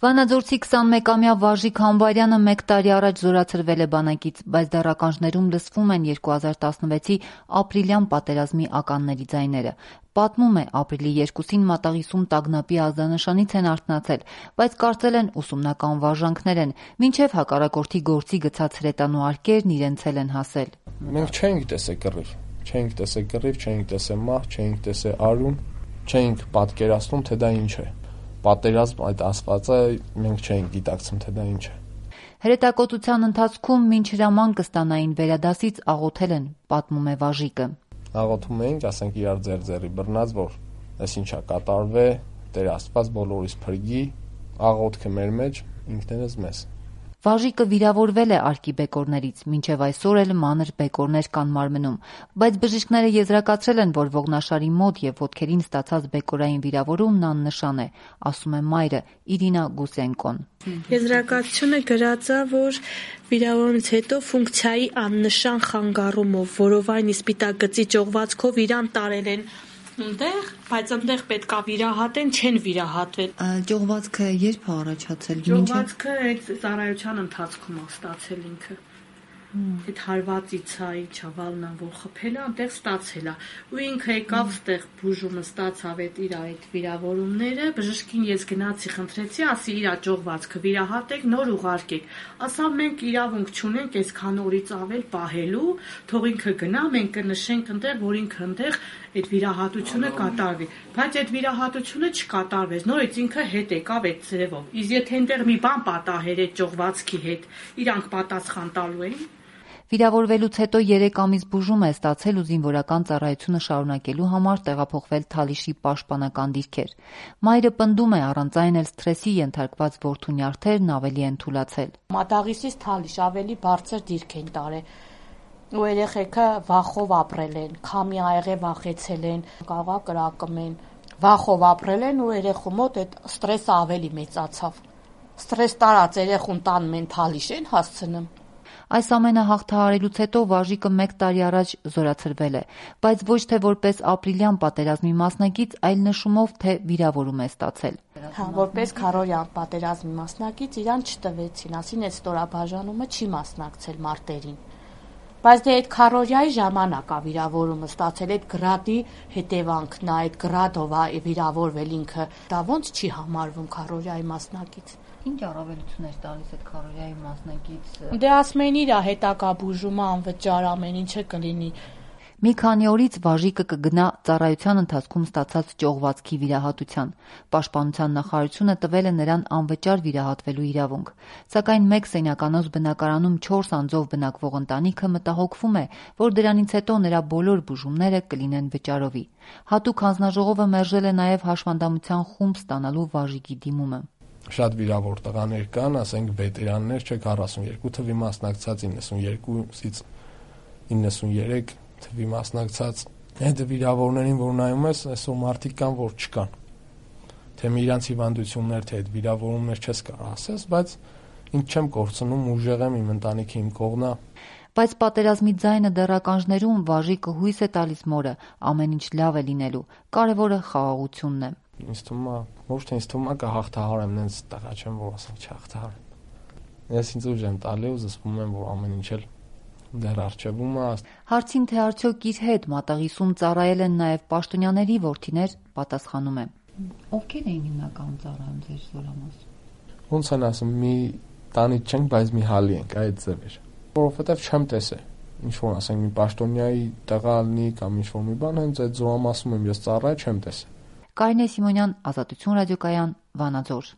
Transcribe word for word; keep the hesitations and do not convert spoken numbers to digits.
Վանաձորցի քսանմեկամյա Վարժիկ Համբարյանը մեկ տարի առաջ զորացրվել է բանակից, բայց դեռ ականջներում լսվում են երկու հազար տասնվեցի ապրիլյան պատերազմի ականների ձայները։ Պատմում է, ապրիլի երկուսին Մատաղիսում տագնապի ազդանշանից են արթնացել, բայց կարծել են ուսումնական վարժանքներ են, մինչև հակառակորդի գործի գցած հրետանու արկերն իրենց էլ են հասել։ Մենք չէինք տեսել կռիվ, չէինք տեսել կռիվ, չէինք տեսել մահ, չէինք տեսել արյուն, չէինք պատկերացնում, թե դա ինչ է։ Պատերազմ այդ ասվածը մենք չէինք գիտակցում, թե դա ինչ է։ Հրետակոծության ընթացքում մինչ հրաման կստանային վերադասից աղոթել են, պատմում է Վարժիկը։ Աղոթում էինք, ասենք իրար ձեր-ձերի բռնած, որ այս ինչա կատարվե, Տեր Աստված բոլորիս փրկի, աղոթքը մեր մեջ, ինքներս մեզ։ Վարժիկը վիրավորվել է արկի բեկորներից, մինչև այսօր էլ մանր բեկորներ կան մարմնում, բայց բժիշկները եզրակացրել են, որ ողնաշարի մոտ եւ ոտքերին ստացած բեկորային վիրավորումն աննշան է, ասում է մայրը Իրինա Գուսենկոն։ Եզրակացությունը գրած է, որ վիրավորումից հետո ֆունկցիայի աննշան խանգարումով, որովայն սպիտակգծի ճողվածքով իրան տարել են ընդեղ, բայց ընդեղ պետքա վիրահատեն, չեն վիրահատվել։ Ճողվածքը երբ է առաջացել։ Ճողվածքը այդ ծառայության ընթացքում է ստացել ինքը։ Այդ հարվածից է, չավալն որ խփել է, այնտեղ ստացել է։ Ու ինքը եկավ ստեղ բուժումը ստացավ այդ իր այդ վիրավորումները, բժշկին ես գնացի, խնդրեցի, ասի իր ճողվածքը վիրահատեք, նոր ուղարկեք։ Ասավ մենք իրավունք չունենք այսքան օրից ավել պահելու, թող ինքը գնա, մենք կնշենք այնտեղ, որ ինքը այնտեղ այդ վիրահատությունը կատարվի, բայց այդ վիրահատությունը չկատարվեց, նորից ինքը հետ եկավ այդ ծրևով։ Իսկ եթե այնտեղ մի բան պատահեր այդ ճողվածքի հետ, իրանք պատասխան տալու էին։ Վիրավորվելուց հետո երեք ամիս բուժում է ստացել ու զինվորական ծառայությունը շարունակելու համար տեղափոխվել Թալիշի պաշտպանական դիրքեր։ Մայրը պնդում է, առանց այն էլ սթրեսի ենթարկված որդու նյարդերն ավելի են թուլացել։ Մատաղիսից Թալիշ ավելի բարձր դիրք են տարել։ Ու երեխեքը վախով ապրել են, քամի աղե վախեցել են, կաղա կրակում են, վախով ապրել են ու երեխու մոտ այդ ստրեսը ավելի մեծացավ։ Ստրես տարած երեխուն տանում են Թալիշ են հասցնում։ Այս ամենը հաղթահարելուց հետո Վարժիկը մեկ տարի առաջ զորացրվել է, բայց ոչ թե որպես ապրիլյան պատերազմի մասնակից, այլ նշումով, թե վիրավորում է ստացել։ Հա, որպես քարորյան պատերազմի մասնակից իրան չտվեցին, ասին այդ ստորաբաժանումը չի մասնակցել մարտերին։ Բայց դե այդ քարորյայի ժամանակ է վիրավորումը ստացել, այդ գրադի հետևանքն է, այդ գրադով է վիրավորվել ինքը, դա ոնց չի համարվում քարորյայի մասնակից։ Ինչ առավելություններ տալիս այդ քարորյայի մասնակից։ Դե ասում են իր հետակա բուժումը անվճար ամեն ինչը կլինի։ Մի քանի օրից Վարժիկը կգնա ծառայության ընթացքում ստացած ճողվածքի վիրահատության։ Պաշտպանության նախարարությունը տվել է նրան անվճար վիրահատվելու իրավունք։ Սակայն մեկ սենյականոց բնակարանում չորս անձով բնակվող ընտանիքը մտահոգվում է, որ դրանից հետո նրա բոլոր բուժումները կլինեն վճարովի։ Հատուկ հանձնաժողովը մերժել է նաև հաշվանդամության խումբ ստանալու Վարժիկի դիմումը։ Շատ վիրավոր տղաներ կան, ասենք վետերաններ, չէ, քառասունյոթ թվի մասնակցած, իննսունյոթից իննսունյոթ թվի մասնակցած, այդ վիրավորներին, որ նայում ես, այսօր մարդիկ կան, որ չկան։ Թե մի իրանց հիվանդություններ, թե այդ վիրավորումներ չես կարող ասես, բայց ինձ չեմ կորցնում, ուժեղ եմ, իմ ընտանիքը իմ կողմն է։ Բայց պատերազմի ձայնը դեռ ականջներում Վարժիկը հույս է տալիս մորը, ամեն ինչ լավ է լինելու, կարևորը խաղաղությունն է։ Ինձ թվում է, ոչ թե ինձ թվում է կհաղթահարեմ, նենց տղա չեմ, որ ասեմ չհաղթահարեմ։ Ես ինձ ուժ եմ տալի ու զսպում եմ, որ ամեն ինչ էլ դեռ առջևում է։ Հարցին, թե արդյոք իր հետ Մատաղիսում ծառայել են նաև պաշտոնյաների որդիներ, պատասխանում է։ Ովքեր էին հիմնականում ծառայում ձեր զորամասում։ Ոնց են ասում, մի տանիք չենք, բայց մի հալի ենք, այդ ձև էր։ Որովհետև չեմ տեսել։ Ինչ որ ասենք, մի պաշտոնյայի տղա լինի կամ ինչ որ մի բան, հենց այդ զորամասում եմ ես ծառայ չեմ տեսել։ Կարինե Սիմոնյան, Ազատություն ռադիոկայան, Վանաձոր։